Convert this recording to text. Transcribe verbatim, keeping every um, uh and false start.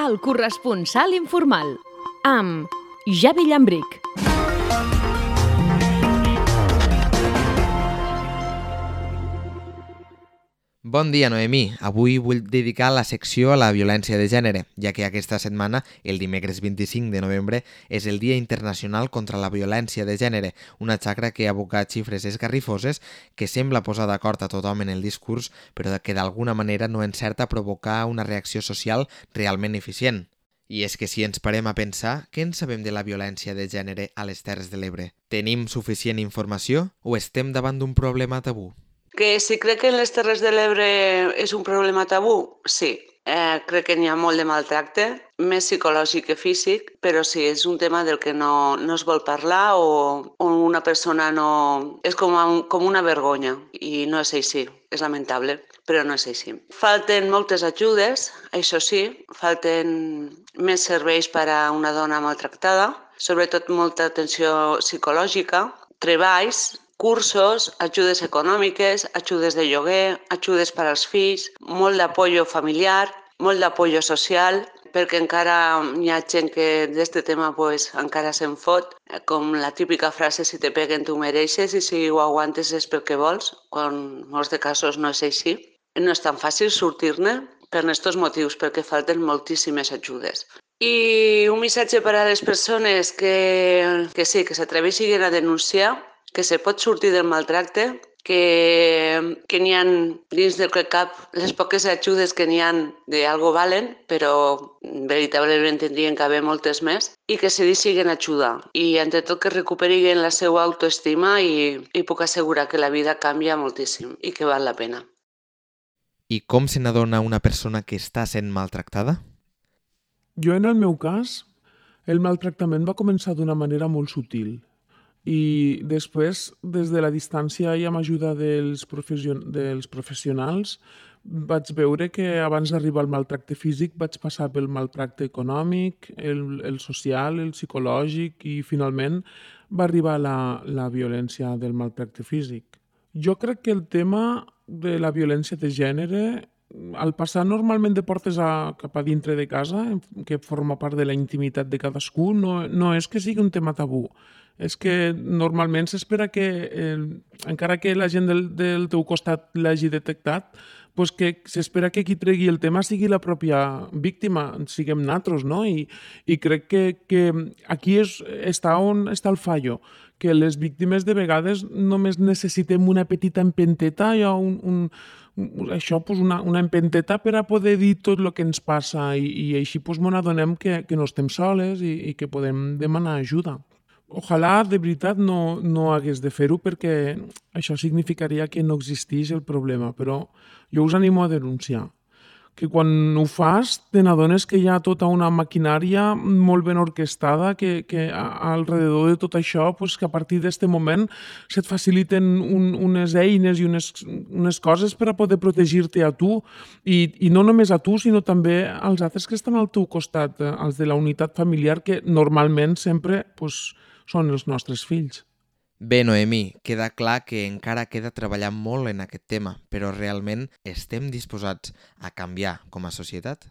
El corresponsal informal, amb Javi Llambric. Bon dia, Noemí. Avui vull dedicar la secció a la violència de gènere, ja que aquesta setmana, el dimecres vint-i-cinc de novembre, és el Dia Internacional contra la Violència de Gènere, una xacra que aboca xifres esgarrifoses que sembla posar d'acord a tothom en el discurs, però que d'alguna manera no encerta a provocar una reacció social realment eficient. I és que si ens parem a pensar, què en sabem de la violència de gènere a les Terres de l'Ebre? Tenim suficient informació o estem davant d'un problema tabú? Que si crec que en les Terres de l'Ebre és un problema tabú, sí. Eh, crec que n'hi ha molt de maltracte, més psicològic que físic, però sí, és un tema del que no, no es vol parlar o, o una persona no... És com, un, com una vergonya i no és així, és lamentable, però no és així. Falten moltes ajudes, això sí, falten més serveis per a una dona maltractada, sobretot molta atenció psicològica, treballs, cursos, ajudes econòmiques, ajudes de lloguer, ajudes per als fills, molt d'apoyo familiar, molt d'apoyo social, perquè encara hi ha gent que d'aquest tema pues, encara se'n fot, com la típica frase si te peguen tu mereixes i si ho aguantes és perquè vols, quan en molts de casos no és així. No és tan fàcil sortir-ne per aquests motius, perquè falten moltíssimes ajudes. I un missatge per a les persones que, que sí, que s'atreveixin a denunciar, que se pot sortir del maltracte, que, que n'hi ha dins del cap les poques ajudes que n'hi ha d'algo valen, però veritablement tindrien que haver moltes més, i que se deixin ajudar. I entre tot que recuperin la seva autoestima i, i puc assegurar que la vida canvia moltíssim i que val la pena. I com se n'adona una persona que està sent maltractada? Jo, en el meu cas, el maltractament va començar d'una manera molt sutil. I després, des de la distància i amb ajuda dels, profession dels professionals, vaig veure que abans d'arribar al maltracte físic vaig passar pel maltracte econòmic, el, el social, el psicològic i finalment va arribar la, la violència del maltracte físic. Jo crec que el tema de la violència de gènere, al passar normalment de portes a, cap a dintre de casa, que forma part de la intimitat de cadascú, no, no és que sigui un tema tabú. És que normalment s'espera que, eh, encara que la gent del, del teu costat l'hagi detectat, pues que s'espera que qui tregui el tema sigui la pròpia víctima, siguem nosaltres, no? I, i crec que, que aquí és, està on està el fallo, que les víctimes de vegades només necessitem una petita empenteta, hi ha un, un, això, pues una, una empenteta per a poder dir tot el que ens passa i, i així pues, ens adonem que, que no estem soles i, i que podem demanar ajuda. Ojalà de veritat no, no hagués de fer-ho perquè això significaria que no existeix el problema, però jo us animo a denunciar. Que quan ho fas te n'adones que hi ha tota una maquinària molt ben orquestada que, que alrededor de tot això, pues, que a partir d'aquest moment se't faciliten un, unes eines i unes, unes coses per a poder protegir-te a tu i, i no només a tu, sinó també als altres que estan al teu costat, els de la unitat familiar, que normalment sempre pues, són els nostres fills. Bé, Noemí, queda clar que encara queda treballar molt en aquest tema, però realment estem disposats a canviar com a societat?